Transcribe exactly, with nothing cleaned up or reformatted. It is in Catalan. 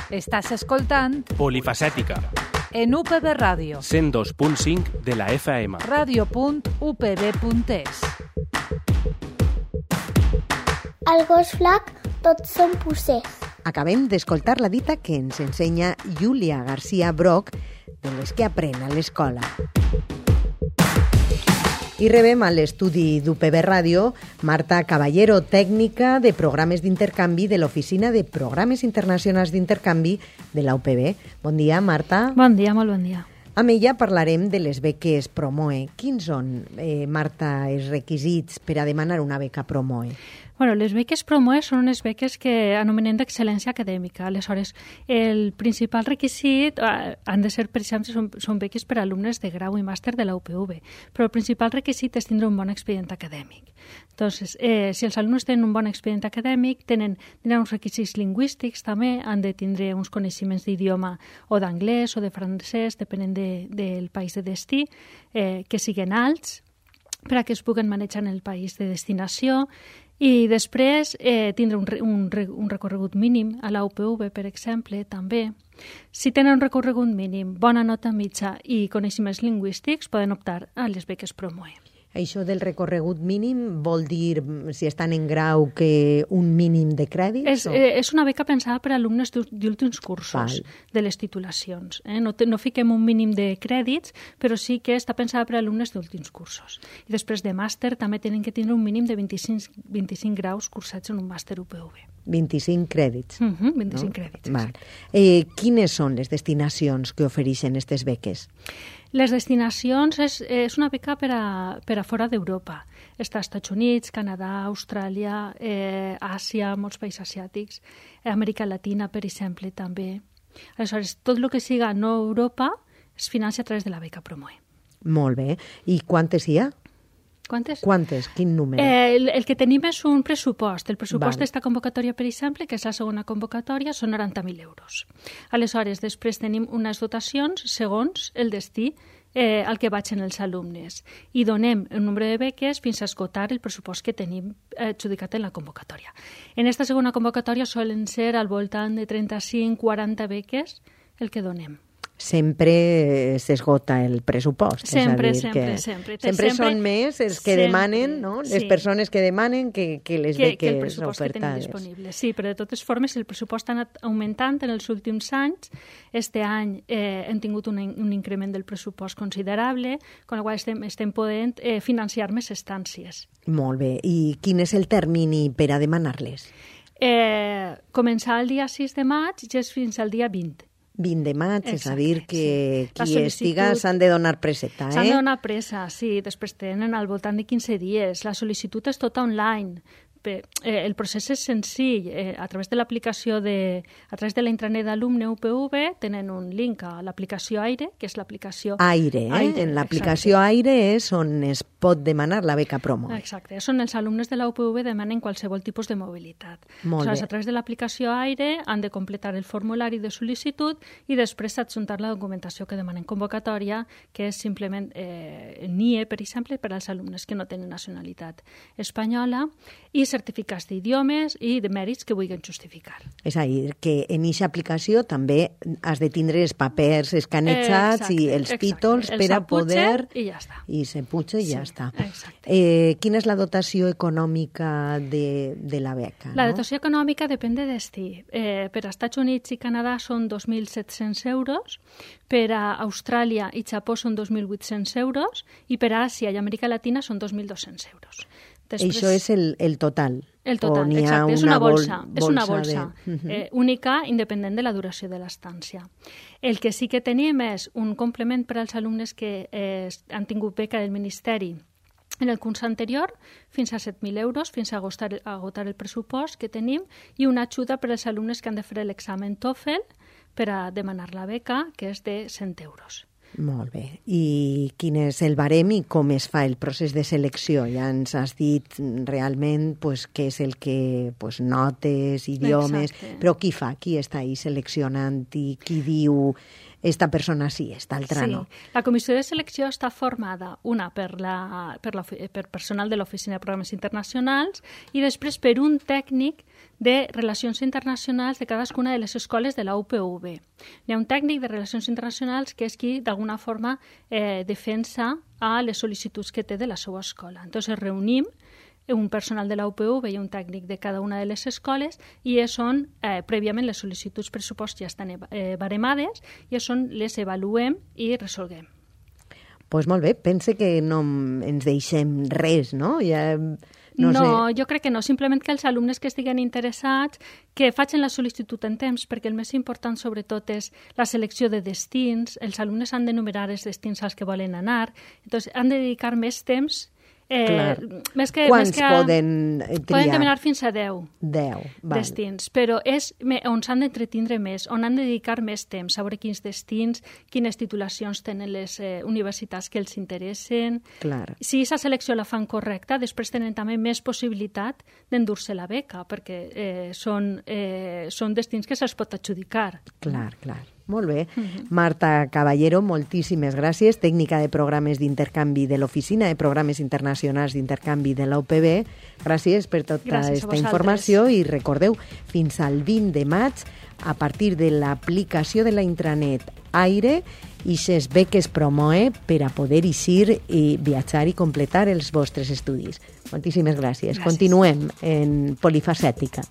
Estàs escoltant Polifacètica, en U P B Ràdio, cent dos punt cinc de la F M. ràdio punt u p b punt e s. Al gos flac tots són pucers. Acabem d'escoltar la dita que ens ensenya Júlia García Broc de les que aprèn a l'escola. I rebem a l'estudi d'U P B Ràdio Marta Caballero, tècnica de programes d'intercanvi de l'Oficina de Programes Internacionals d'Intercanvi de la U P B. Bon dia, Marta. Bon dia, molt bon dia. Amb ella parlarem de les beques Promoe. Quins són, eh, Marta, els requisits per a demanar una beca Promoe? Bueno, les beques Promoe són unes beques que anomenem d'excel·lència acadèmica. Aleshores, el principal requisit eh, han de ser, per exemple, són, són beques per a alumnes de grau i màster de la U P V, però el principal requisit és tindre un bon expedient acadèmic. Entonces, eh, si els alumnes tenen un bon expedient acadèmic, tenen, tenen uns requisits lingüístics també, han de tindre uns coneixements d'idioma o d'anglès o de francès, depenent de, del país de destí, eh, que siguin alts, per a que es puguen manejar en el país de destinació, i després eh, tindre un, un, un recorregut mínim a la U P V, per exemple, també. Si tenen un recorregut mínim, bona nota mitja i coneixements lingüístics, poden optar a les beques Promoe. Això del recorregut mínim vol dir, si estan en grau, que un mínim de crèdits? És, o... eh, és una beca pensada per a alumnes d'últims cursos Val. de les titulacions. Eh? No, te, no fiquem un mínim de crèdits, però sí que està pensada per a alumnes d'últims cursos. I després de màster també tenen que tindre un mínim de vint-i-cinc, vint-i-cinc graus cursats en un màster U P V. vint-i-cinc crèdits. Uh -huh, vint-i-cinc no? crèdits, Val. exacte. Eh, quines són les destinacions que ofereixen aquestes beques? Les destinacions és, és una beca per a, per a fora d'Europa. Està als Estats Units, Canadà, Austràlia, eh, Àsia, molts països asiàtics, Amèrica Latina, per exemple, també. Aleshores, tot el que siga no Europa es financia a través de la beca Promoe. Molt bé. I quantes hi ha? Quantes? Quantes? Quin número? Eh, el, el que tenim és un pressupost. El pressupost Val. d'esta convocatòria, per exemple, que és la segona convocatòria, són noranta mil euros. Aleshores, després tenim unes dotacions segons el destí eh, al que vagin els alumnes i donem un nombre de beques fins a esgotar el pressupost que tenim adjudicat en la convocatòria. En esta segona convocatòria solen ser al voltant de trenta-cinc a quaranta beques el que donem. Sempre s'esgota el pressupost. Sempre, és a dir, sempre, que sempre. Sempre sempre són més els que sempre, demanen, no? Les sí. persones que demanen que, que les que, beques que el pressupost que tenim ofertades. disponible. Sí, però de totes formes el pressupost ha anat augmentant en els últims anys. Este any eh, hem tingut un, un increment del pressupost considerable, con la qual estem, estem podent eh, financiar més estàncies. Molt bé. I quin és el termini per a demanar-les? Eh, començar el dia sis de maig i és fins al dia vint. vint de maig, és a Exacte, dir que sí. qui estiga s'han de donar presseta, eh? S'han de donar pressa, sí. Després tenen al voltant de quinze dies. La sol·licitud és tota online. Eh, el procés és senzill. Eh, a través de l'aplicació de... A través de la intranet d'alumne U P V tenen un link a l'aplicació Aire, que és l'aplicació... Aire, eh? Aire, en l'aplicació exacte. Aire és on es pot demanar la beca Promo. Exacte. Són els alumnes de la U P V demanen qualsevol tipus de mobilitat. Molt Aleshores, bé. a través de l'aplicació Aire han de completar el formulari de sol·licitud i després adjuntar la documentació que demanen convocatòria, que és simplement eh, N I E, per exemple, per als alumnes que no tenen nacionalitat espanyola, i certificats d'idiomes i de mèrits que vulguin justificar. És a dir, que en aquesta aplicació també has de tindre els papers escanejats Exacte, i els exacte. títols El per a s'aputxa poder... i ja està. I se puja i Sí, ja està. exacte. Eh, quina és la dotació econòmica de, de la beca? La no? dotació econòmica depèn de destí. Eh, per a Estats Units i Canadà són dos mil set-cents euros, per a Austràlia i Japó són dos mil vuit-cents euros i per a Àsia i Amèrica Latina són dos mil dos-cents euros. Després, Això és el, el total? el total, O n'hi ha exacte, és una bolsa, bol- és una bolsa de... Uh-huh. eh, única, independent de la duració de l'estància. El que sí que tenim és un complement per als alumnes que eh, han tingut beca del Ministeri en el curs anterior, fins a set mil euros, fins a agotar, a agotar el pressupost que tenim, i una ajuda per als alumnes que han de fer l'examen TOEFL per a demanar la beca, que és de cent euros. Molt bé. I quin és el barem i com es fa el procés de selecció? Ja ens has dit realment pues, què és el que... Pues, notes, idiomes... Exacte. Però qui fa? Qui està ahí seleccionant i qui diu esta persona sí, esta altra sí. no? La comissió de selecció està formada, una per, la, per, la, per personal de l'Oficina de Programes Internacionals i després per un tècnic de Relacions Internacionals de cadascuna de les escoles de la U P V. Hi ha un tècnic de Relacions Internacionals que és qui, d'alguna forma, eh, defensa a les sol·licituds que té de la seva escola. Entonces, reunim un personal de la U P V i un tècnic de cada una de les escoles i és on, eh, prèviament, les sol·licituds pressupost ja estan eh, baremades i és on les avaluem i resolguem. Doncs pues molt bé, pense que no ens deixem res, no? Ja, no, no sé. jo crec que no, simplement que els alumnes que estiguen interessats que facin la sol·licitud en temps, perquè el més important sobretot és la selecció de destins, els alumnes han d'enumerar els destins als que volen anar, doncs han de dedicar més temps. Eh, més que, Quants més que, poden triar? Poden demanar fins a deu, deu val. destins, però és on s'han d'entretindre més, on han de dedicar més temps, saber quins destins, quines titulacions tenen les eh, universitats que els interessen. Clar. Si aquesta selecció la fan correcta, després tenen també més possibilitat d'endur-se la beca, perquè eh, són, eh, són destins que se'ls pot adjudicar. Clar, clar. Molt bé. Uh-huh. Marta Caballero, moltíssimes gràcies, tècnica de programes d'intercanvi de l'Oficina de Programes Internacionals d'Intercanvi de la U P B. Gràcies per tota aquesta informació i recordeu, fins al vint de maig, a partir de l'aplicació de la intranet Aire, i ses beques Promoe per a poder eixir i viatjar i completar els vostres estudis. Moltíssimes gràcies. gràcies. Continuem en Polifacètica.